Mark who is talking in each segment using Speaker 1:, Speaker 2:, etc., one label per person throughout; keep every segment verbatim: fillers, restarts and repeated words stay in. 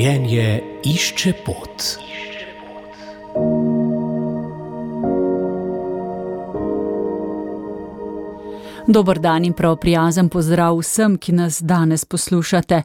Speaker 1: Življenje išče pot.
Speaker 2: Dober dan in prav prijazen pozdrav vsem, ki nas danes poslušate.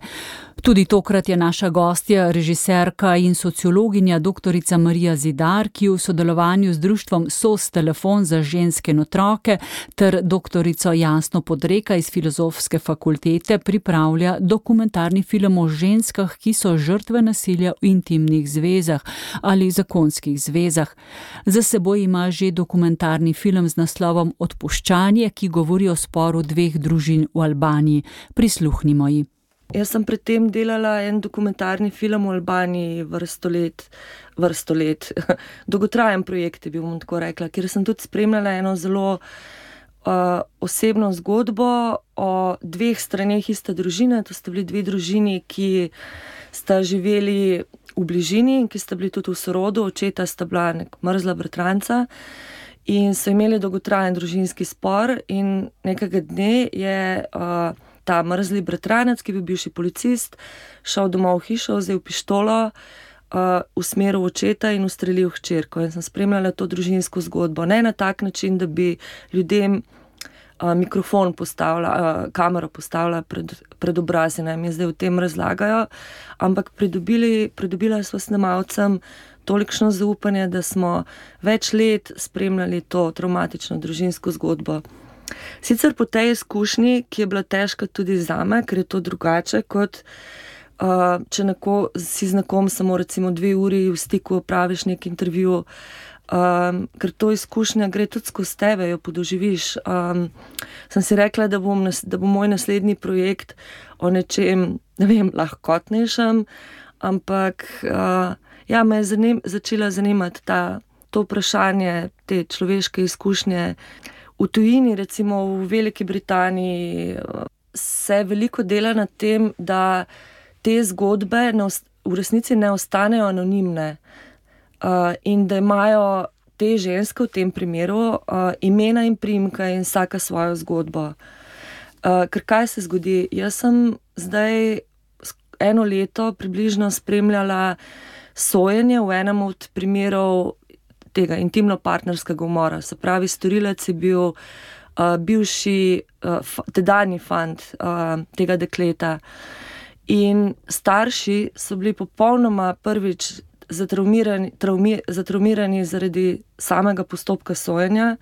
Speaker 2: Tudi tokrat je naša gostja, režiserka in sociologinja doktorica Marija Zidar, ki v sodelovanju z društvom S O S Telefon za ženske in otroke ter doktorico Jasno Podreka iz Filozofske fakultete pripravlja dokumentarni film o ženskah, ki so žrtve nasilja v intimnih zvezah ali zakonskih zvezah. Za seboj ima že dokumentarni film z naslovom Odpuščanje, ki govori o sporu dveh družin v Albaniji. Prisluhnimo ji.
Speaker 3: Jaz sem predtem delala en dokumentarni film v Albaniji vrsto let, vrsto let. Dolgotrajen projekt je bil, bom tako rekla, kjer sem tudi spremljala eno zelo uh, osebno zgodbo o dveh straneh iste družine. To sta bili dve družini, ki sta živeli v bližini in ki sta bili tudi v sorodu. Očeta sta bila nek mrzla bratranca in so imeli dolgotrajen družinski spor in nekega dne je uh, ta mrzli bratranec, ki je bil bivši policist, šel domov v hišo, vzel pištolo, uh, usmeril očeta in ustrelil hčerko. In sem spremljala to družinsko zgodbo. Ne na tak način, da bi ljudem uh, mikrofon postavila, uh, kamero postavila pred, pred obraz in naj mi zdaj o tem razlagajo, ampak pridobili, pridobila sva snemalcem tolikšno zaupanje, da smo več let spremljali to travmatično družinsko zgodbo. Sicer po tej izkušnji, ki je bila težka tudi zame, ker je to drugače, kot uh, če neko, si z nekom samo recimo dve uri v stiku opraviš nek intervju, um, ker to izkušnja gre tudi skozi tebe, jo podoživiš. Um, sem si rekla, da bom, da bo moj naslednji projekt o nečem, ne vem, lahkotnejšem, ampak uh, ja, me je zanim, začela zanimati ta, to vprašanje, te človeške izkušnje. V tujini, recimo v Veliki Britaniji, se veliko dela na tem, da te zgodbe v resnici ne ostanejo anonimne in da imajo te ženske v tem primeru imena in priimka in vsaka svojo zgodbo. Ker kaj se zgodi? Jaz sem zdaj eno leto približno spremljala sojenje v enem od primerov tega intimno-partnerskega umora. Se pravi, storilec je bil uh, bivši, uh, tedanji fant uh, tega dekleta. In starši so bili popolnoma prvič zatraumirani, traumi, zatraumirani zaradi samega postopka sojenja.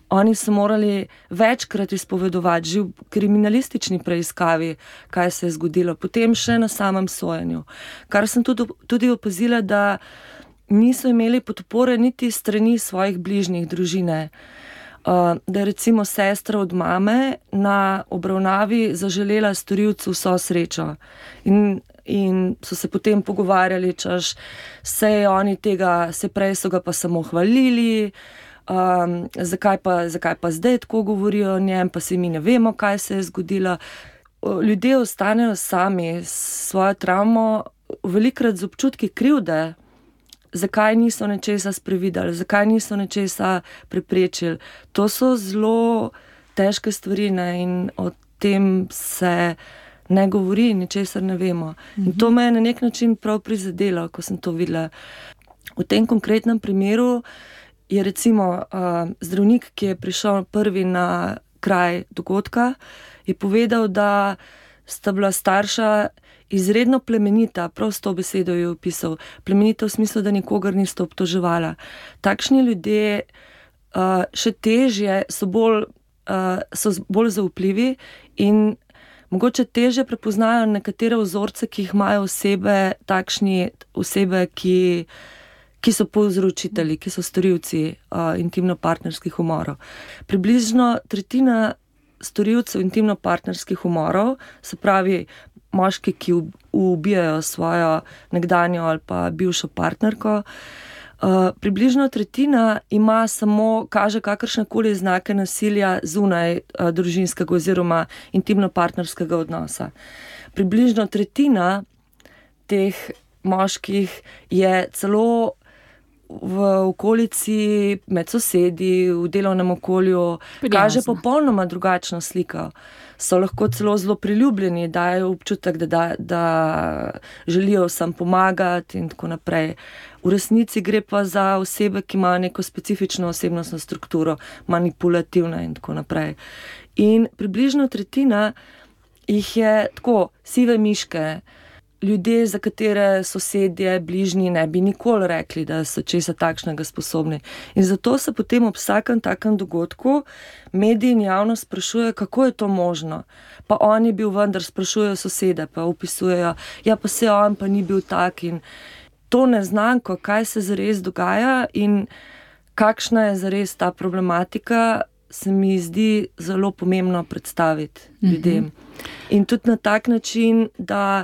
Speaker 3: Oni so morali večkrat izpovedovati, že v kriminalistični preiskavi, kaj se je zgodilo, potem še na samem sojenju. Kar sem tudi, tudi opazila, da niso imeli podpore niti strani svojih bližnjih družine. Uh, da je recimo sestra od mame na obravnavi zaželela storilcu vso srečo. In, in so se potem pogovarjali, češ, sej oni tega, se prej so ga pa samo hvalili, um, zakaj, pa, zakaj pa zdaj tako govorijo o njem, pa si mi ne vemo, kaj se je zgodilo. Ljudje ostanejo sami s svojo travmo, velikokrat z občutki krivde, zakaj niso nečesa sprevideli, zakaj niso nečesa preprečili. To so zelo težke stvari, ne? In o tem se ne govori, ničesar ne vemo. Mhm. In to me je na nek način prav prizadelo, ko sem to videla. V tem konkretnem primeru je recimo uh, zdravnik, ki je prišel prvi na kraj dogodka, je povedal, da sta bila starša izredno plemenita, prav s to besedo je opisal, plemenita v smislu, da nikogar nista obtoževala. Takšni ljudje uh, še težje so bolj, uh, so bolj zaupljivi in mogoče težje prepoznajo nekatere vzorce, ki jih imajo osebe, takšni osebe, ki, ki so povzročitelji, ki so storilci uh, intimno-partnerskih umorov. Približno tretjina storilcev intimno-partnerskih umorov, se pravi moški, ki ubijajo svojo nekdanjo ali pa bivšo partnerko, uh, približno tretjina ima samo, kaže kakršnekoli znake nasilja zunaj uh, družinskega oziroma intimno-partnerskega odnosa. Približno tretjina teh moških je celo v okolici, med sosedi, v delovnem okolju,
Speaker 2: Prijazno.
Speaker 3: kaže popolnoma drugačno sliko. So lahko celo zelo priljubljeni, dajo občutek, da, da, da želijo vsem pomagati in tako naprej. V resnici gre pa za osebe, ki imajo neko specifično osebnostno strukturo, manipulativna in tako naprej. In približno tretjina jih je tako, sive miške, ljudje, za katere sosedje, bližnji ne bi nikoli rekli, da so česa takšnega sposobni. In zato se potem ob vsakem takem dogodku mediji in javnost sprašujejo, kako je to možno. Pa on je bil vendar, sprašujejo sosede, pa opisujejo, ja pa se on pa ni bil tak in to neznanko, kaj se zares dogaja in kakšna je zares ta problematika, se mi zdi zelo pomembno predstaviti ljudem. Mm-hmm. In tudi na tak način, da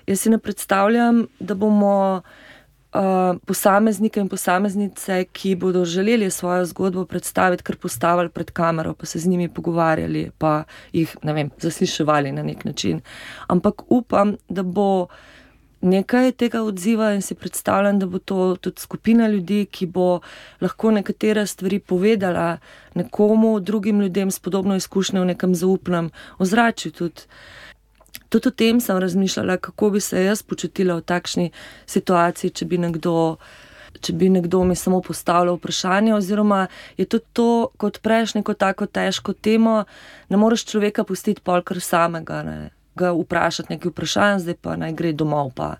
Speaker 3: jaz si ne predstavljam, da bomo uh, posameznike in posameznice, ki bodo želeli svojo zgodbo predstaviti, kar postavili pred kamero, pa se z njimi pogovarjali, pa jih, ne vem, zasliševali na nek način. Ampak upam, da bo nekaj tega odziva in si predstavljam, da bo to tudi skupina ljudi, ki bo lahko nekatere stvari povedala nekomu, drugim ljudem s podobno izkušnjo v nekem zaupnem ozračju tudi. Tudi o tem sem razmišljala, kako bi se jaz počutila v takšni situaciji, če bi nekdo, če bi nekdo mi samo postavljal vprašanje, oziroma je tudi to, kot prejš neko tako težko temo, ne moreš človeka pustiti pol kar samega, ne. Ga vprašati nekaj vprašanj, zdaj pa naj gre domov pa.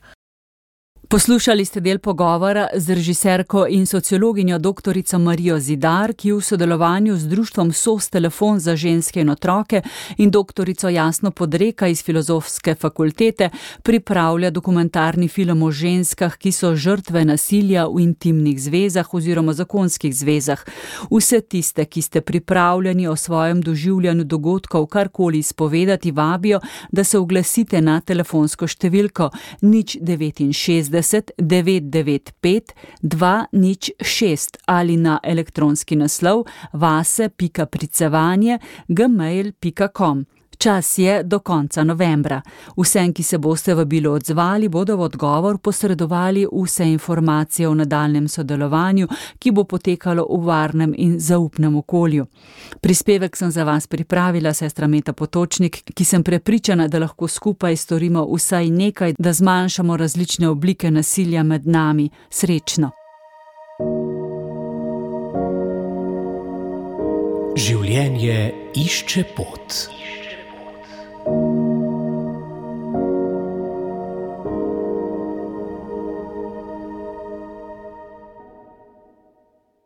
Speaker 2: Poslušali ste del pogovora z režiserko in sociologinjo doktorico Marijo Zidar, ki v sodelovanju z društvom S O S Telefon za ženske in otroke in doktorico Jasno Podreka iz Filozofske fakultete pripravlja dokumentarni film o ženskah, ki so žrtve nasilja v intimnih zvezah oziroma zakonskih zvezah. Vse tiste, ki ste pripravljeni o svojem doživljanju dogodkov karkoli izpovedati, vabijo, da se oglasite na telefonsko številko nič devetinšestdeset devet devet pet dva nič šest ali na elektronski naslov vase pika pricevanje gmail pika com. Čas je do konca novembra. Vsem, ki se boste vabilo odzvali, bodo v odgovor posredovali vse informacije o nadaljnjem sodelovanju, ki bo potekalo v varnem in zaupnem okolju. Prispevek sem za vas pripravila sestra Meta Potočnik, ki sem prepričana, da lahko skupaj storimo vsaj nekaj, da zmanjšamo različne oblike nasilja med nami. Srečno!
Speaker 1: Življenje išče pot.